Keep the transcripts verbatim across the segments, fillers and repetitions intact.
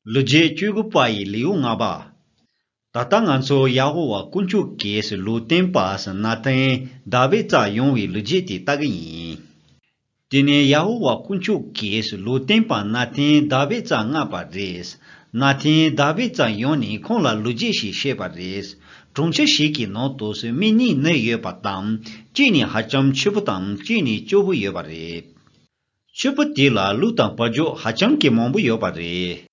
ལོ་རྒྱུས་བཅུ་དགུ་པ་ཡི་ལེའུ་ལྔ་པ། ད་ལྟ་ང་ཚོ་ཡ་ཧོ་ཝཱ་དཀོན་མཆོག་གིས་ལུང་སྟོན་པ་ནཱ་ཐན་དཱ་བིད་རྩར་ཡོང་བའི་ལོ་རྒྱུས་དེ་ལྟ་གི་ཡིན། དེ་ནས་ཡ་ཧོ་ཝཱ་དཀོན་མཆོག་གིས་ལུང་སྟོན་པ་ནཱ་ཐན་དཱ་བིད་རྩར་མངགས་པ་རེད། ནཱ་ཐན་དཱ་བིད་རྩར་ཡོང་ནས་ཁོང་ལ་ལོ་རྒྱུས་ཤིག་བཤད་པ་རེད། གྲོང་ཁྱེར་ཞིག་གི་ནང་དུ་མི་གཉིས་གནས་ཡོད་པ་དང་། གཅིག་ནི་ཧ་ཅང་ཕྱུག་པོ་དང་གཅིག་ནི་སྐྱོ་པོ་ཡོད་པ་རེད། ཕྱུག་པོ་དེ་ལ་ལུག་དང་བ་ཕྱུགས་ཧ་ཅང་གི་མང་པོ་ཡོད་པ་རེད།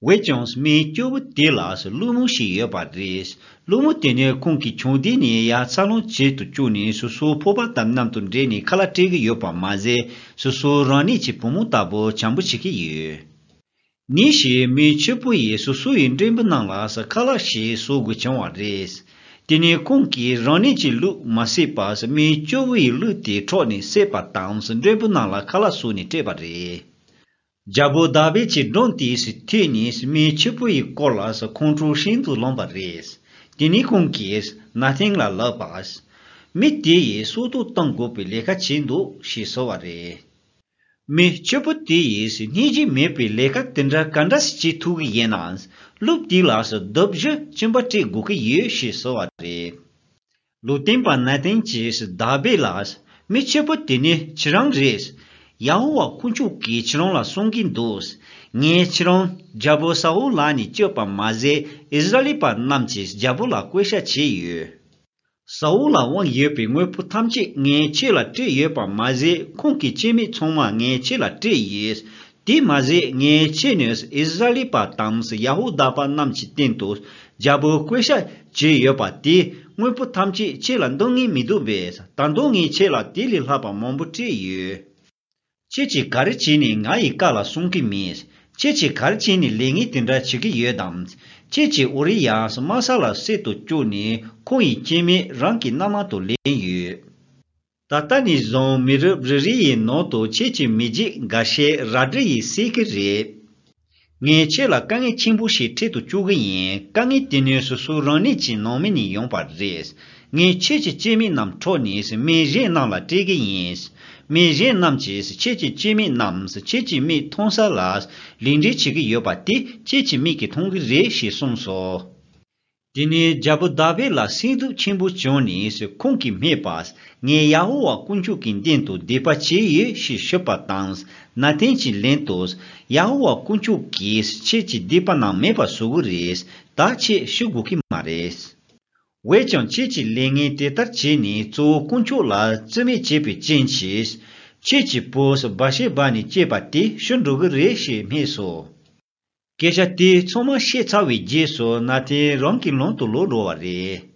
འོན་ཀྱང་མི་སྐྱོ་པོ་དེ་ལ་སློང་མོ་ཞིག་ཡོད་པ་རེད། སློང་མོ་དེ་ནི་ཁོང་གི་ཆུང་དུས་ནས་ཡར་འཚར་ལོངས་བྱེད་དུ་བཅུག་ནས་སོ་སོའི་ཕོར་པ་དང་མཉམ་དུ་འདྲེས་ནས་ཁ་ལག་སྤྲད་ཀྱི་ཡོད་པ་མ་ཟད། སོ་སོ་རང་ཉིད་ཀྱི་བུ་མོ་ལྟ་བུ་བྱམས་པོ་བྱེད་ཀྱི་ཡོད། ཉིན་ཞིག་མི་ཕྱུག་པོ་ཡིས་སོ་སོ་ཡི་འགྲེང་བུ་རྣམས་ལ་ཁ་ལག་ཞིག་བཟོ་དགོས་བྱུང་བ་རེད། དེ་ནས་ཁོང་གིས་རང་ཉིད་ཀྱི་ལུག་མ་བསད་པར་མི་སྐྱོ་བོ་ཡི་ལུག་དེ་འཕྲོག་ནས་བསད་པ་དང་། འགྲེང་བུ་རྣམས་ལ་ཁ་ལག་བཟོས་ནས་སྤྲད་པ་རེད། རྒྱལ་པོ་དཱ་བིད་ཀྱི་མགྲོན་དེས་ཐོས་ནས་མི་ཕྱུག་པོ་ཡི་སྐོར་ལ་ཁོང་ཁྲོ་ཤིན་ཏུ་ལངས་པ་རེད། དེ་ནས་ཁོང་གིས་ནཱ་ཐན་ལ་ལབ་པ། མི་དེ་ཡིས་སྲོག་ཐོག་གཏོང་དགོས་པའི་ལས་ཀ་བྱས་འདུག་ཞེས་ཟེར་བ་རེད། མི་ཕྱུག་པོ་དེ་ཡིས་སྙིང་རྗེ་མེད་པའི་ལས་ཀ་དེ་འདྲ་ག་འདྲ་ཞིག་བྱེད་ཐུབ་ཀྱི་ཡིན་ནམ། ལུག་དེ་ལ་གདུབ་བྱེད་གཅིན་པ་སྤྲད་དགོས་ཀྱི་ཡོད་ཞེས་ཟེར་བ་རེད། ལུང་སྟོན་པ་ནཱ་ཐན་གྱིས་དཱ་བིད་ལ། མི་ཕྱུག་པོ་དེ་ནི་ཁྱེད་རང་རེད། ཡ་ཧོ་ཝཱ་དཀོན་མཆོག་གིས་ཁྱེད་རང་ལ་གསུང་གིན་འདུག་ངས་ཁྱེད་རང་རྒྱལ་པོ་ས་ཨུལ་ལག་ནས་སྐྱོབ་པ་མ་ཟད། ཨིསི་ར་ཨེལ་པ་རྣམས་ཀྱིས་རྒྱལ་པོ་ལ་བསྐོ་བཞག་བྱས་ཡོད། ས་ཨུལ་ལ་དབང་ཡོད་པའི་དངོས་པོ་ཐམས་ཅད་ངས་ཁྱེད་ལ་སྤྲད་ཡོད་པ་མ་ཟད། ཁོང་གི་སྐྱེ་དམན་ཚང་མ་ངས་ཁྱེད་ལ་སྤྲད་ཡོད། དེ་མ་ཟད། ངས་ཁྱེད་ནི་ཨིསི་ར་ཨེལ་པ་དང་ཡ་ཧུ་དཱ་པ་རྣམས་ཀྱི་སྟེང་དུ་རྒྱལ་པོའི་བསྐོ་བཞག་བྱས་ཡོད་པ་དེ། དངོས་པོ་ཐམས་ཅད་ཁྱེད་ལ་འདང་ངེས་མི་འདུག་པས། ད་དུང་ངས་ཁྱེད་ལ་དེ་ལས་ལྷག་པ་མང་པོ་སྤྲད་ཡོད། ཁྱེད་ཀྱིས་ག་རེ་བྱས་ནས་ང་ཡི་བཀའ་ལ་སྲུང་གི་མེད། ཁྱེད་ཀྱིས་ག་རེ་བྱས་ནས་ལས་ངན་དེ་འདྲ་བྱེད་ཀྱི་ཡོད་དམ། ཁྱེད་ཀྱིས་ཨུ་རི་ཡ་མ་ས་ལ་བསད་དུ་བཅུག་ནས་ཁོང་ཡི་སྐྱེ་དམན་རང་གི་མནའ་མ་དུ་ལེན་ཡོད། ད་ལྟ་ནས་བཟུང་མི་རབས་རེ་རེ་ཡི་ནང་དུ་ཁྱེད་ཀྱི་མི་རྒྱུད་འགའ་ཤས་རལ་གྲི་ཡིས་བསད་ཀྱི་རེད། ངས་ཁྱེད་ལ་དཀའ་ངལ་ཆེན་པོ་ཞིག་འཕྲད་དུ་བཅུག་གི་ཡིན། དཀའ་ངལ་དེ་ནི་སོ་སོ་རང་ཉིད་ཀྱི་ནང་མི་ནས་ཡོང་པ་རེད། ངས་ཁྱེད་ཀྱི་སྐྱེ་དམན་རྣམས་འཕྲོག་ནས་མི་གཞན་རྣམས་ལ་སྤྲད་ཀྱི་ཡིན། མི་གཞན་རྣམས་ཀྱིས་ཁྱེད་ཀྱི་སྐྱེ་དམན་རྣམས་ཁྱེད་ཀྱི་མིག་མཐོང་ས་ལ་ལེན་འདྲེན་བྱེད་ཀྱི་ཡོད་པ་དེ་ཁྱེད་ཀྱི་མིག་གིས་མཐོང་གི་རེད་ཞེས་གསུངས་སོ། དེ་ནས་རྒྱལ་པོ་དཱ་བིད་ལ་སེམས་སྡུག་ཆེན་པོ་བྱུང་ནས་ཁོང་གིས་སྨྲས་པ། ངས་ཡ་ཧོ་ཝཱ་དཀོན་མཆོག་གི་མདུན་དུ་སྡིག་པ་བྱས་ཡོད་ཞེས་ཞུས་པ་དང་། ནཱ་ཐན་གྱིས་ལན་དུ། ཡ་ཧོ་ཝཱ་དཀོན་མཆོག་གིས་ཁྱེད་ཀྱི་སྡིག་པ་རྣམས་མེད་པར་བཟོ་གི་རེད། ད་ཁྱེད་ཤི་དགོས་ཀྱི་མ་རེད། འོན་ཀྱང་ཁྱེད་ཀྱིས་ལས་ངན་དེ་ལྟར་བྱས་ནས་གཙོ་བོ་དཀོན་མཆོག་ལ་བརྩི་མེད་བྱས་པའི་རྐྱེན་གྱིས། ཁྱེད་ཀྱི་བུ་བཱ་ཤེ་བ་ནས་སྐྱེས་པ་དེ་ཤི་འགྲོ་གི་རེད་ཞེས་སྨྲས་སོ། སྐད་ཆ་དེ་ཚང་མ་བཤད་ཚར་བའི་རྗེས་སུ་ནཱ་ཐན་རང་གི་ལམ་དུ་ལོག་འགྲོ་བ་རེད།